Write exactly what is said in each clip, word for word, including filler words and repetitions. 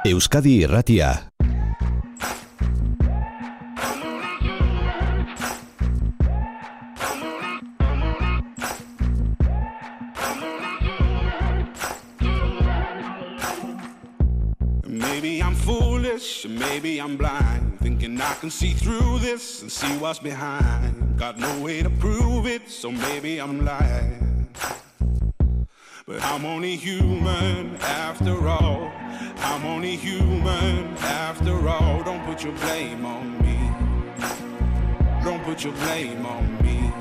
Euskadi Irratia. Maybe I'm foolish, maybe I'm blind, thinking I can see through this and see what's behind. Got no way to prove it, so maybe I'm lying. But I'm only human after all. I'm only human after all. Don't put your blame on me. Don't put your blame on me.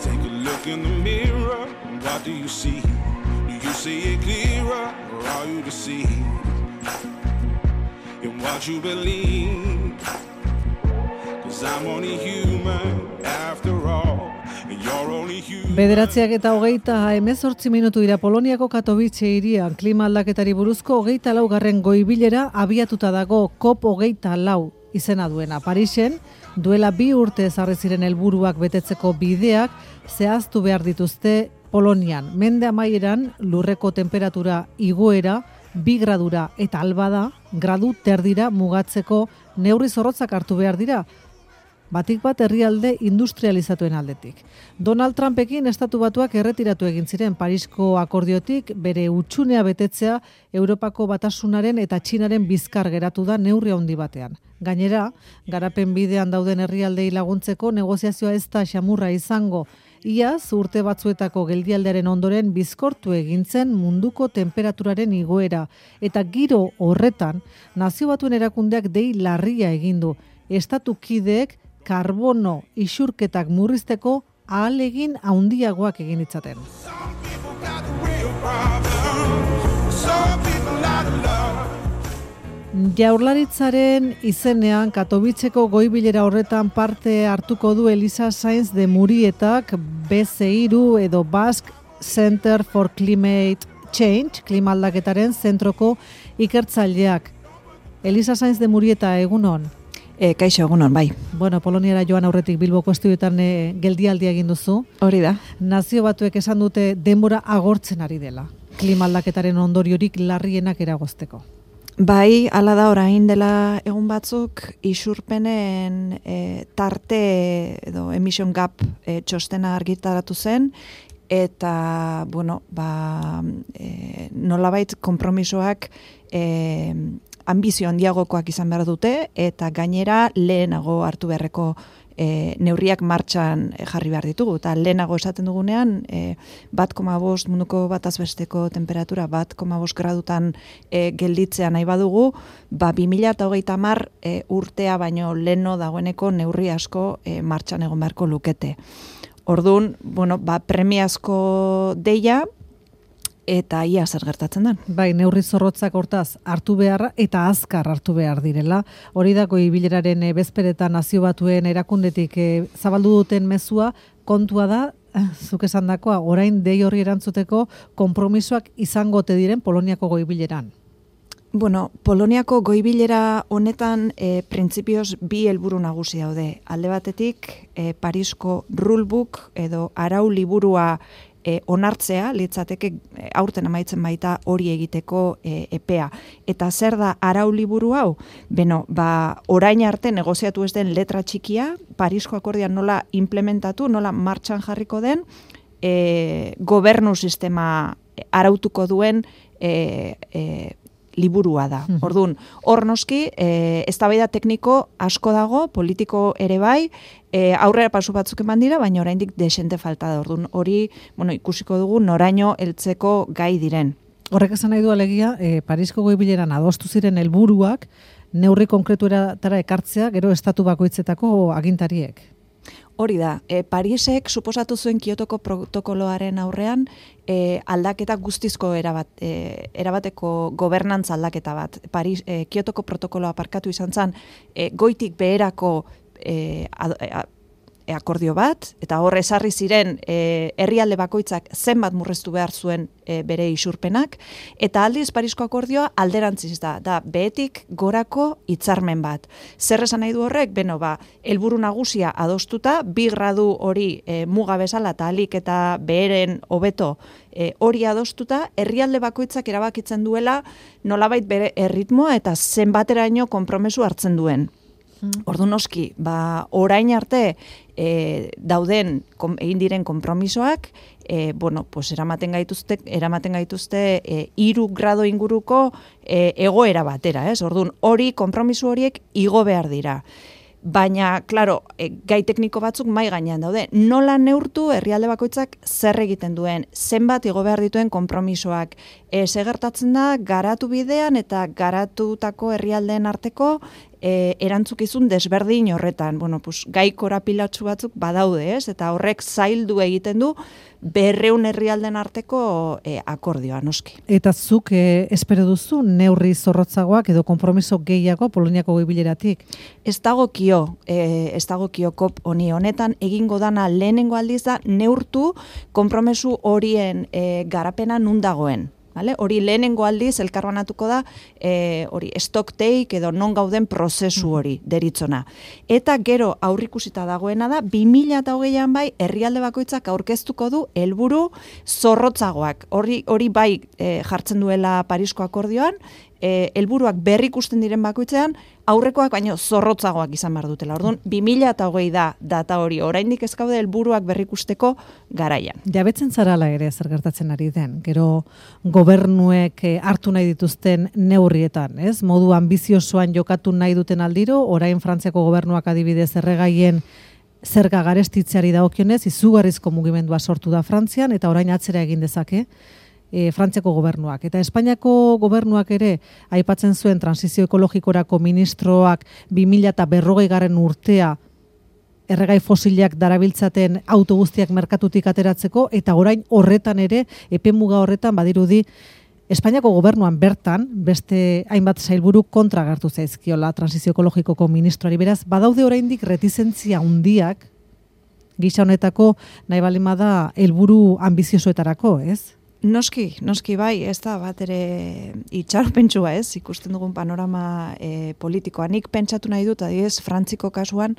Take a look in the mirror, what do you see? Do you see it clearer, or are you deceived in what you believe? 'Cause I'm only human after all. Bederatziak eta hogeita hemezortzi minutu dira Poloniako Katowice hirian klima aldaketari buruzko hogeita laugarren goibilera abiatuta dago COP hogeita lau izena duena. Parisen duela bi urte ezarri ziren helburuak betetzeko bideak zehaztu behar dituzte Polonian. Mende amaieran lurreko temperatura igoera bi gradura eta albada gradu terdira mugatzeko neurri zorrotzak hartu behar dira. Batik bat herrialde industrializatuen aldetik. Donald Trumpekin estatu batuak erretiratu egin ziren Parisko akordiotik, bere hutsunea betetzea Europako Batasunaren eta Txinaren bizkar geratu da neurri handi batean. Gainera, garapen bidean dauden herrialdei laguntzeko negoziazioa ez da xamurra izango. Iaz, urte batzuetako geldialdearen ondoren bizkortu egintzen munduko temperaturaren igoera. Eta giro horretan, Nazio Batuen erakundeak dei larria egindu. Estatu kideek karbono isurketak murrizteko ahalegin handiagoak egin ditzaten. Jaurlaritzaren izenean Katowiceko goibilera horretan parte hartuko du Elisa Sainz de Murietak B C hiru edo Basque Center for Climate Change, klima aldaketaren zentroko ikertzaileak. Elisa Sainz de Murieta, egunon. E, kaixo, egunon, bai. Bueno, Poloniara joan aurretik Bilboko estudioetan e, geldialdia egin duzu. Hori da. Nazio Batuek esan dute denbora agortzen ari dela. Klima aldaketaren ondoriorik larrienak eragozteko. Bai, hala da orain dela egun batzuk isurpenen e, tarte edo emission gap e, txostena argitaratu zen, eta, bueno, ba, e, nolabait konpromisoak e, ambizio handiagokoak izan behar dute, eta gainera lehenago hartu beharreko e, neurriak martxan jarri behar ditugu. Eta lehenago esaten dugunean, e, bat koma bost munduko batazbesteko temperatura, bat koma bost gradutan e, gelditzea nahi badugu, ba, bi mila hogeita hamar e, urtea baino leheno dagoeneko neurri asko e, martxan egon beharko lukete. Orduan, bueno, ba, premiazko deia, eta ia zer gertatzen den. Bai, neurri zorrotzak hortaz hartu beharra eta azkar hartu behar direla. Hori da goibileraren e, bezperetan Nazio Batuen erakundetik e, zabaldu duten mezua, kontua da, zuk esandakoa, orain dei horri erantzuteko konpromisoak izangote diren Poloniako goibileran. Bueno, Poloniako goibilera honetan e, printzipioz bi helburu nagusi daude. Alde batetik, e, Parisko rulebook edo arau liburua E, onartzea, litzateke e, aurten amaitzen baita hori egiteko e, epea. Eta zer da arau liburu hau? Beno, ba, orain arte negoziatu ez den letra txikia, Parisko akordian nola implementatu, nola martxan jarriko den, e, gobernu sistema arautuko duen e, e, liburua da. Mm-hmm. Orduan, hor noski, e, eztabaida tekniko asko dago, politiko ere bai, e, aurrera pasu batzuk eman dira, baina oraindik desente falta da. Orduan, hori, bueno, ikusiko dugu noraino heltzeko gai diren. Horrek esan nahi du alegia, e, Parisko goibileran adostu ziren helburuak neurri konkretuetara ekartzea, gero estatu bakoitzetako agintariek. Hori da, e, Parisek suposatu zuen Kiotoko protokoloaren aurrean e, aldaketa guztizko erabat, e, erabateko gobernantza aldaketa bat. Paris, e, Kiotoko protokoloa parkatu izan zen, e, goitik beherako e, ad, a, akordio bat, eta hor ezarri ziren e, herrialde bakoitzak zenbat murriztu behar zuen e, bere isurpenak, eta aldiz Parisko akordioa alderantziz da, da behetik gorako hitzarmen bat. Zer esan nahi du horrek? Beno, ba, helburu nagusia adostuta, bi gradu hori e, muga bezala eta alik eta beheren hobeto e, hori adostuta, herrialde bakoitzak erabakitzen duela nolabait bere erritmoa eta zenbateraino konpromesu hartzen duen. Ordu noski, ba, orain arte e, dauden kom, egin diren konpromisoak, e, bueno, pues eramaten gaituzte, eramaten gaituzte e, hiru grado inguruko e, egoera batera, ez? Ordun hori konpromiso horiek igo behar dira. Baina, claro, e, gai tekniko batzuk mai gainean daude. Nola neurtu herrialde bakoitzak zer egiten duen, zenbat igo behar dituen konpromisoak. E, ze gertatzen da, garatu bidean eta garatutako herrialdeen arteko E, erantzukizun desberdin horretan. Bueno, pues, gai korapilatsu batzuk badaude, ez? Eta horrek zaildu egiten du berreun herrialden arteko e, akordioa, noski. Eta zuk e, espero duzu neurri zorrotzagoak edo konpromiso gehiago Poloniako goi-bileratik? Ez dagokio, e, ez dagokio kop honi honetan egingo dana lehenengo aldiz da neurtu konpromesu horien e, garapena nun dagoen. Vale? Hori lehenengo aldiz elkarbanatuko da e, hori stock take edo non gauden prozesu hori deritzona. Eta gero aurrikusita dagoena da bi mila hogeian bai herrialde bakoitzak aurkeztuko du helburu zorrotzagoak. Hori hori bai e, jartzen duela Parisko akordioan, e, helburuak berrikusten diren bakoitzean aurrekoak baino zorrotzagoak izan behar dutela. Orduan, bi mila hogei da data hori, oraindik ez gaude helburuak berrikusteko garaian. Jabetzen zarala ere zer gertatzen ari den, gero gobernuek hartu nahi dituzten neurrietan, ez? Modu ambiziosoan jokatu nahi duten aldiro, orain Frantziako gobernuak adibidez erregaien zerga garestitzeari dagokionez, izugarrizko mugimendua sortu da Frantzian, eta orain atzera egin dezake, E, Frantziako gobernuak. Eta Espainiako gobernuak ere aipatzen zuen transizio ekologikorako ministroak bi mila berrogei garren urtea erregai fosilak darabiltzaten autoguztiak merkatutik ateratzeko, eta orain horretan ere, epemuga horretan badirudi Espainiako gobernuan bertan, beste hainbat sailburu kontra agertu zaizkiola transizio ekologikoko ministroari. Beraz, badaude oraindik retizentzia handiak gisa honetako nahi baldin bada helburu ambiziosoetarako, ez? Noski, noski bai, ez da bat ere itxaropentsua, ez, ikusten dugun panorama e, politikoa. Nik pentsatu nahi dut, adibidez, Frantziko kasuan,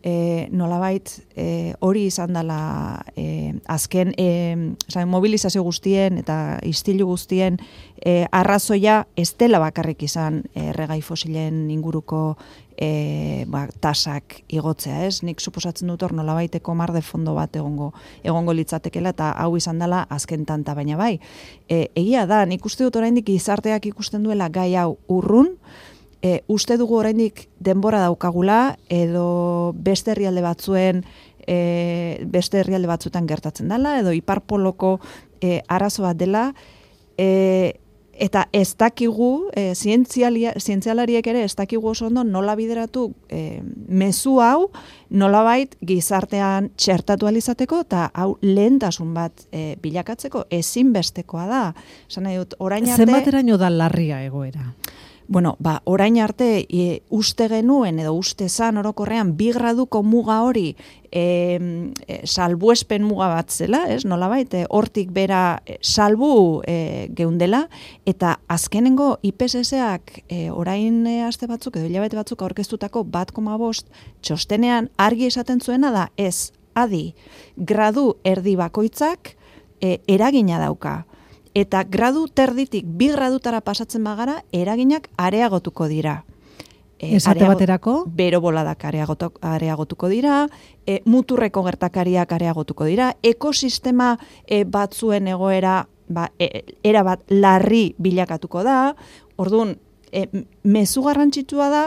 e, nolabait e, hori izan dela e, azken e, zain, mobilizazio guztien eta istilu guztien e, arrazoia ez dela bakarrik izan erregai fosilen inguruko E, ba, tasak igotzea, ez? Nik suposatzen dut hor nolabaiteko mar de fondo bat egongo egongo litzatekela, eta hau izan dela azken tanta, baina bai. E, egia da, nik uste dut oraindik gizarteak ikusten duela gai hau urrun, e, uste dugu oraindik denbora daukagula, edo beste herrialde batzuen e, beste herrialde batzuetan gertatzen dela, edo iparpoloko e, arazo bat dela, e, eta ez dakigu, e, zientzialariek ere ez dakigu oso ondo nola bideratu e, mezu hau nolabait gizartean txertatu alizateko, eta hau lehentasun bat e, bilakatzeko ezinbestekoa da. Esan nahi dut, orain arte... Zenbateraino da larria egoera? Bueno, ba, orain arte e, uste genuen edo uste zan orokorrean bi graduko muga hori e, e, salbuespen muga bat zela, ez? Nolabait, e, hortik bera e, salbu e, geundela, eta azkenengo I P C C-ak e, orain e, aste batzuk edo hilabete batzuk aurkeztutako bat koma bost txostenean argi esaten zuena da, ez, adi, gradu erdi bakoitzak e, eragina dauka. Eta gradu terditik bi gradutara pasatzen bagara, eraginak areagotuko dira. E, Esate baterako? Bero boladak areagotu, areagotuko dira, e, muturreko gertakariak areagotuko dira, ekosistema e, batzuen egoera ba, e, era bat larri bilakatuko da. Orduan, e, mezu garrantzitsua da,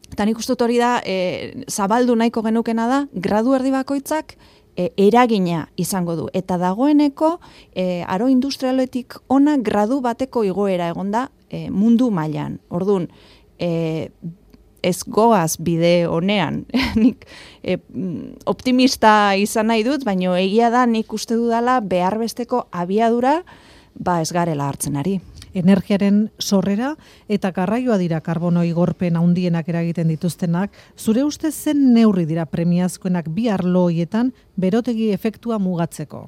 eta nik uste hori da, e, zabaldu nahiko genukena da, gradu erdi bakoitzak, E, eragina izango du. Eta dagoeneko e, aro industrialetik ona gradu bateko igoera egonda e, mundu mailan. Orduan, e, ez goaz bide honean, nik e, optimista izan nahi dut, baina egia da nik uste dudala behar besteko abiadura ba ez garela hartzen ari. Energiaren sorrera eta garraioa dira karbono igorpen handienak eragiten dituztenak. Zure ustez zen neurri dira premiazkoenak bi arlo horietan berotegi efektua mugatzeko?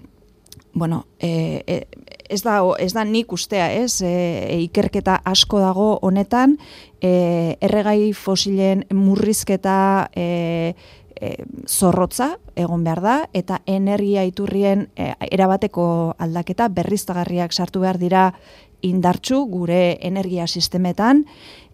Bueno, e, e, ez da ez da nik ustea, ez? E, ikerketa asko dago honetan, e, erregai fosilen murrizketa e, e, zorrotza egon behar da, eta energia iturrien e, erabateko aldaketa berriztagarriak sartu behar dira indartsu gure energia sistemetan,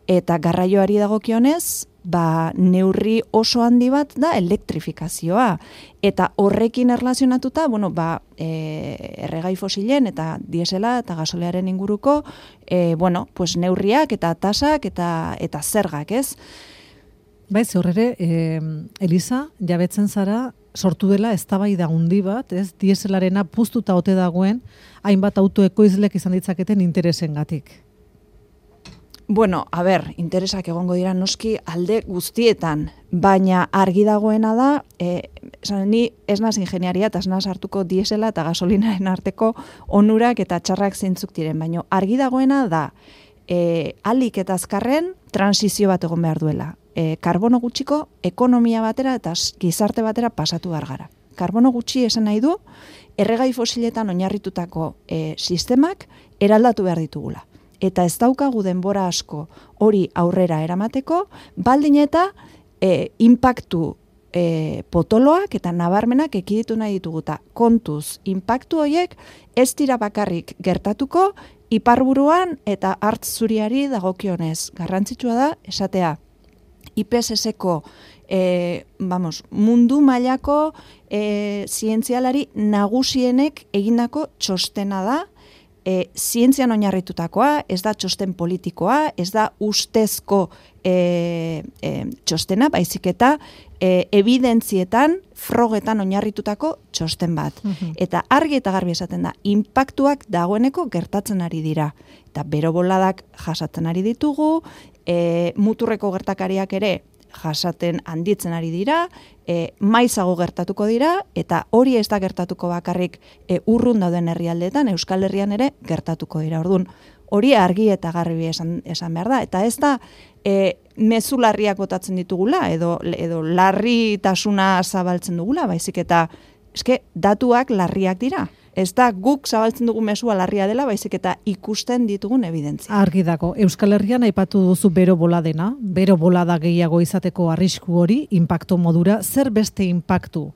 eta garraioari dagokionez, ba, neurri oso handi bat da elektrifikazioa. Eta horrekin erlazionatuta, bueno, ba, e, erregai fosilen eta diesela eta gasolearen inguruko, e, bueno, pues neurriak eta tasak eta, eta zergak, ez? Bai, horre, e, Elisa, jabetzen zara, sortu dela eztabaida handi bat, ez? Dieselarena puztuta ote dagoen, hainbat autoekoizlek izan ditzaketen interesengatik. Bueno, a ber, interesak egongo dira noski alde guztietan, baina argi dagoena da, e, esan, ni ez naz ingeniaria eta ez naz hartuko diesela eta gasolinaren arteko onurak eta txarrak zeintzuk diren, baina argi dagoena da, e, alik eta azkarren transizio bat egon behar duela. E, karbono gutxiko ekonomia batera eta gizarte batera pasatu behar gara. Karbono gutxi esan nahi du, erregai fosiletan oinarritutako e, sistemak eraldatu behar ditugula. Eta ez daukagu denbora asko hori aurrera eramateko, baldin eta e, inpaktu e, potoloak eta nabarmenak ekiditu nahi dituguta. Kontuz, inpaktu horiek ez dira bakarrik gertatuko, iparburuan eta hartz zuriari dagokionez. Garrantzitsua da, esatea, I P S S-ko e, vamos, mundu mailako e, zientzialari nagusienek egindako txostena da, E, zientzian oinarritutakoa, ez da txosten politikoa, ez da ustezko e, e, txostena, baizik eta e, evidentzietan, frogetan oinarritutako txosten bat. Uh-huh. Eta argi eta garbi esaten da, inpaktuak dagoeneko gertatzen ari dira. Eta bero boladak jasatzen ari ditugu, e, muturreko gertakariak ere jasaten handitzen ari dira, e, maizago gertatuko dira, eta hori ez da gertatuko bakarrik e, urrun dauden herrialdeetan, Euskal Herrian ere gertatuko dira. Orduan, hori argi eta garbi esan, esan behar da. Eta ez da e, mezu larriak botatzen ditugula, edo, edo larritasuna zabaltzen dugula, baizik eta eske, datuak larriak dira. Ez da guk zabaltzen dugu mezua larria dela, baizik eta ikusten ditugun evidentzia. Argi dago, Euskal Herrian aipatu duzu bero boladena, bero bolada gehiago izateko arrisku hori, inpaktu modura, zer beste inpaktu?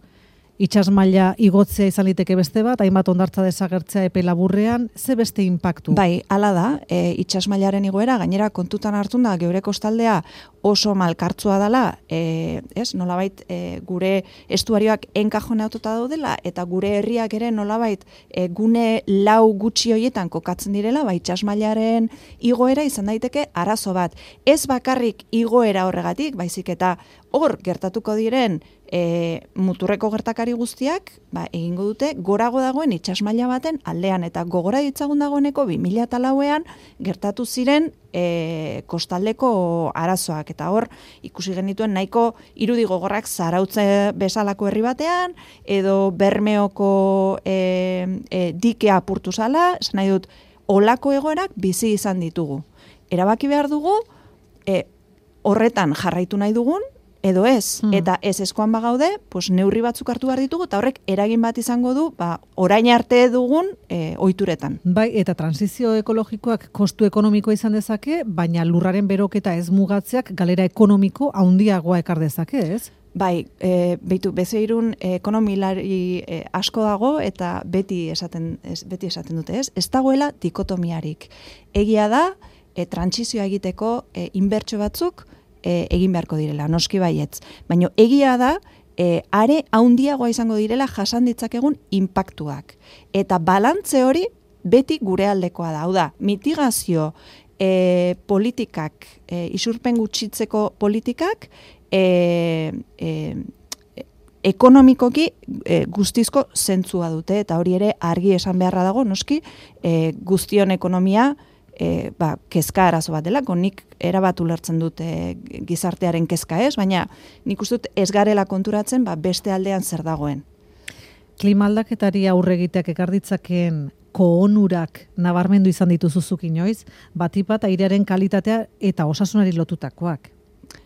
Itsas maila igotzea izan liteke beste bat, hainbat hondartza desagertzea epe laburrean, ze beste inpaktu? Bai, hala da, e, itsas mailaren igoera, gainera kontutan hartun da, geure kostaldea oso malkartzua dela, e, ez, nolabait e, gure estuarioak enkajoneatuta daudela, eta gure herriak ere nolabait e, gune lau gutxi hoietan kokatzen direla, bai, itsas mailaren igoera izan daiteke arazo bat. Ez bakarrik igoera horregatik, baizik eta hor gertatuko diren e, muturreko gertakari guztiak, ba, egingo dute gorago dagoen itsas maila baten aldean, eta gogora ditzagun dagoeneko bi mila lauean gertatu ziren e, kostaldeko arazoak, eta hor ikusi genituen nahiko irudi gogorrak Zarautze bezalako herri batean, edo Bermeoko e, e, dikea apurtu zala, esan nahi dut, olako egoerak bizi izan ditugu. Erabaki behar dugu, e, horretan jarraitu nahi dugun, edo ez, hmm. eta ez eskoan bagaude, pues neurri batzuk hartu behar ditugu, eta horrek eragin bat izango du, ba, orain arte dugun e, ohituretan. Bai, eta transizio ekologikoak kostu ekonomikoa izan dezake, baina lurraren beroketa ez mugatzeak galera ekonomiko handiagoa ekar dezake, ez? Bai, e, beitu, bezeirun e, ekonomilari e, asko dago, eta beti esaten, ez, beti esaten dute, ez? Ez dagoela dikotomiarik. Egia da, e, transizioa egiteko e, inbertsio batzuk, E, egin beharko direla, noski baietz. Baina egia da, e, are haundiagoa izango direla jasan ditzakegun inpaktuak. Eta balantze hori beti gure aldekoa da. Hau da, mitigazio e, politikak, e, isurpen gutxitzeko politikak, e, e, ekonomikoki e, guztizko zentzua dute, eta hori ere argi esan beharra dago, noski, e, guztion ekonomia, E, ba, kezka arazo bat delako, nik erabat ulertzen dut e, gizartearen kezka ez, baina nik uste dut ez garela konturatzen ba, beste aldean zer dagoen. Klima aldaketari aurre egiteak ekar ditzakeen koonurak nabarmendu izan dituzuzuk inoiz, batipat airearen kalitatea eta osasunari lotutakoak.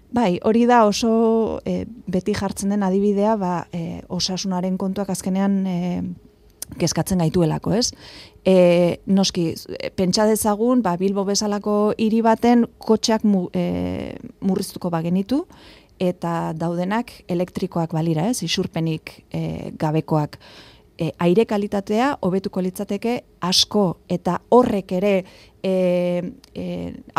Bai, hori da oso e, beti jartzen den adibidea, ba, e, osasunaren kontuak azkenean e, kezkatzen gaituelako, ez? E, noski, pentsa dezagun, ba, Bilbo bezalako hiri baten kotxeak mu, e, murriztuko bagenitu, eta daudenak elektrikoak balira, ez? Isurpenik e, gabekoak. E, aire kalitatea hobetuko litzateke asko, eta horrek ere e, e,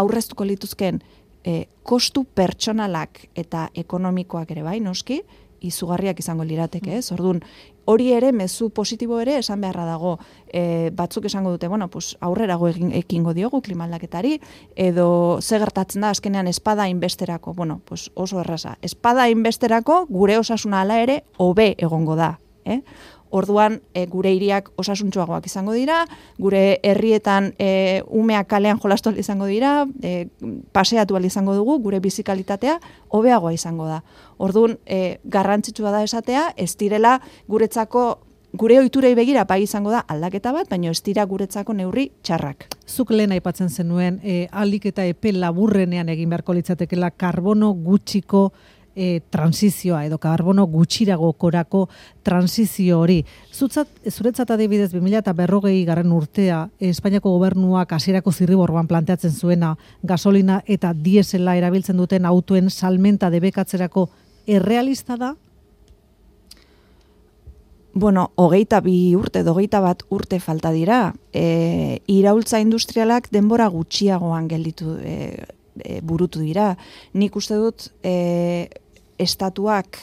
aurreztuko lituzken e, kostu pertsonalak eta ekonomikoak ere bai, noski, izugarriak izango lirateke, ez? Orduan, hori ere, mezu positibo ere esan beharra dago. E, batzuk esango dute, bueno, pues, aurrerago egin, ekingo diogu klimaldaketari, edo ze gertatzen da azkenean espada inbesterako. Bueno, pues, oso erraza. Espada inbesterako gure osasuna hala ere hobe egongo da, eh? Orduan, e, gure hiriak osasuntsuagoak izango dira, gure herrietan e, umeak kalean jolastu ahal izango dira, e, paseatu ahal izango dugu, gure bizikalitatea hobeagoa izango da. Orduan, e, garrantzitsua da esatea, ez direla guretzako, gure ohiturei begira bai izango da aldaketa bat, baina ez dira guretzako neurri txarrak. Zuk lehen aipatzen zenuen, e, ahalik eta epe laburrenean egin beharko litzatekela karbono gutxiko E, transizioa edo karbono gutxirago korako transizio hori. Zutzat, zuretzat adibidez bi mila berrogei garren urtea Espainiako gobernuak hasierako zirriborroan planteatzen zuena gasolina eta diesela erabiltzen duten autoen salmenta debekatzerako errealista da? Bueno, hogeita bi urte, hogeita bat urte falta dira. E, iraultza industrialak denbora gutxiagoan gelditu e, e, burutu dira. Nik uste dut e, estatuak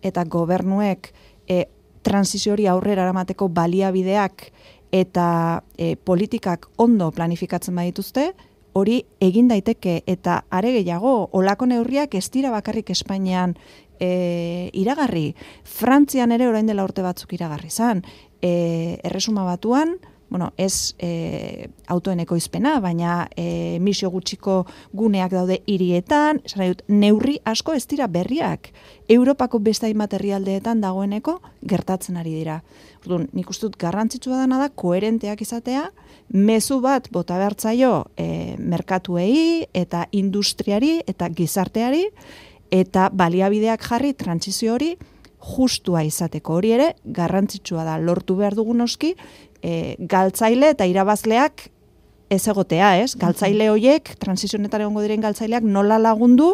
eta gobernuek e, transizio hori aurrera eramateko baliabideak eta e, politikak ondo planifikatzen badituzte, hori egin daiteke eta are gehiago, olako neurriak ez dira bakarrik Espainian e, iragarri. Frantzian ere orain dela urte batzuk iragarri zan. E, Erresuma Batuan, bueno, ez e, autoen ekoizpena, baina e, emisio gutxiko guneak daude hirietan, esan nahi dut, neurri asko ez dira berriak. Europako beste hainbat herrialdeetan dagoeneko gertatzen ari dira. Orduan, nik uste dut garrantzitsua dena da koherenteak izatea, mezu bat bota behartzaio e, merkatuei eta industriari eta gizarteari, eta baliabideak jarri trantsizio hori justua izateko. Hori ere garrantzitsua da, lortu behar dugun noski, E, galtzaile eta irabazleak ez egotea, ez? Galtzaile horiek, transizionetan egongo diren galtzaileak nola lagundu,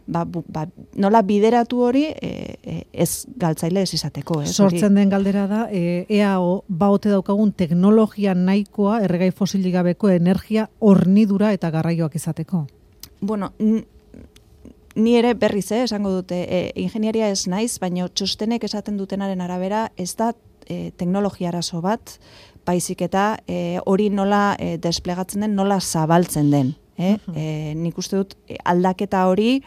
ba, bu, ba, nola bideratu hori e, e, ez galtzaile ez izateko. Ez? Sortzen den galdera da, e, ea o, baote daukagun teknologia nahikoa erregai fosilik gabeko energia hornidura eta garraioak izateko. Bueno, ni ere berriz, eh, esango dute, e, ingenieria ez naiz, baina txostenek esaten dutenaren arabera ez da e, teknologia arazo bat, baizik eta e, hori nola e, desplegatzen den, nola zabaltzen den. Eh? Uh-huh. E, nik uste dut e, aldaketa hori,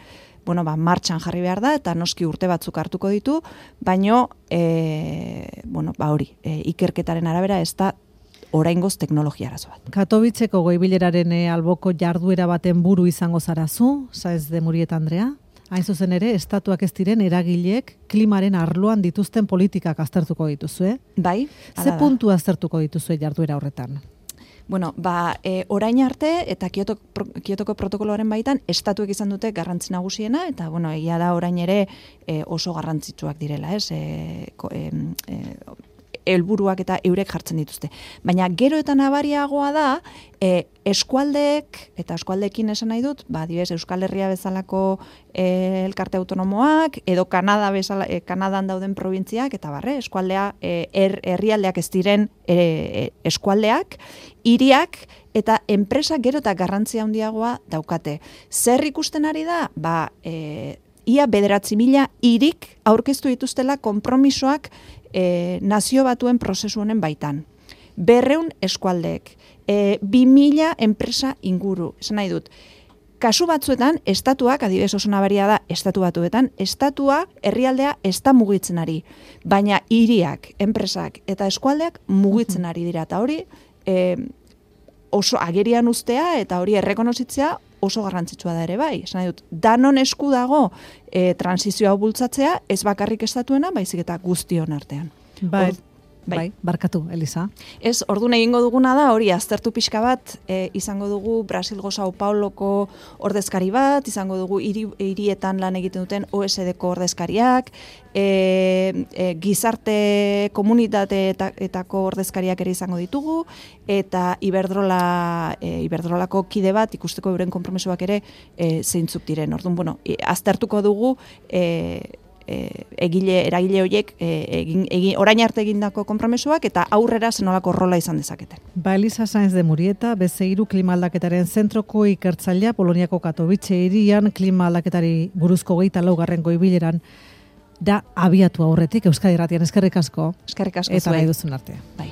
bueno, ba, martxan jarri behar da, eta noski urte batzuk hartuko ditu, baino, e, bueno, ba, hori, e, ikerketaren arabera ez da oraingoz teknologia arazo bat. Katowitzeko goibileraren e, alboko jarduera baten buru izango zarazu, Saez de Murieta Andrea? Hain zuzen ere, estatuak ez diren eragileek klimaren arloan dituzten politikak aztertuko dituzue. Bai. Ze puntu aztertuko dituzue jarduera horretan? Bueno, ba, e, orain arte eta Kyoto, pro, Kyotoko protokoloaren baitan estatuek izan dute garrantzi nagusiena, eta bueno, egia da orain ere e, oso garrantzitsuak direla, ez? E, ko, e, e, helburuak eta eurek jartzen dituzte. Baina gero eta nabariagoa da, e, eskualdeek, eta eskualdeekin esan nahi dut, ba, dibes, Euskal Herria bezalako e, elkarte autonomoak, edo Kanada bezala, e, Kanadan dauden probintziak, eta barre, eskualdea, e, er, herrialdeak ez diren e, eskualdeak, hiriak, eta enpresak gero eta garrantzia handiagoa daukate. Zer ikusten ari da? Ba, e, ia bederatzi mila hirik aurkeztu dituztela konpromisoak E, nazio batuen prozesu honen baitan. Berreun eskualdeek, e, bi mila enpresa inguru, esan nahi dut. Kasu batzuetan, estatuak, adibidez oso nabaria da, estatu batuetan, estatua herrialdea ez da mugitzen ari, baina hiriak, enpresak eta eskualdeak mugitzen ari dira, eta hori e, oso agerian ustea eta hori errekonozitzea oso garrantzitsua da ere bai. Esan nahi dut, danon esku dago e, transizioa bultzatzea, ez bakarrik estatuena, baizik eta guztion artean. Bai. Bai, bai barkatu, Elisa. Ez, ordun egingo duguna da, hori aztertu pixka bat, e, izango dugu Brasilgo Sao Pauloko ordezkari bat, izango dugu hiri, hirietan lan egiten duten O E C D-ko ordezkariak, e, e, gizarte komunitateetako ordezkariak ere izango ditugu, eta Iberdrola, e, Iberdrolako kide bat ikusteko euren konpromesuak ere e, zeintzuk diren. Orduan, bueno, e, aztertuko dugu e, E, egile, eragile horiek e, egin, egin, orain arte egindako konpromesuak eta aurrera zenolako rola izan dezakete. Ba, Elisa Sainz de Murieta, Bezeiru klima aldaketaren zentroko ikertzailea Poloniako Katowice hirian klima aldaketari buruzko hogeita laugarren goibileran da abiatu aurretik Euskadi Irratian. Eskerrik asko. Eskerrik asko eta nahi duzun arte. Bai.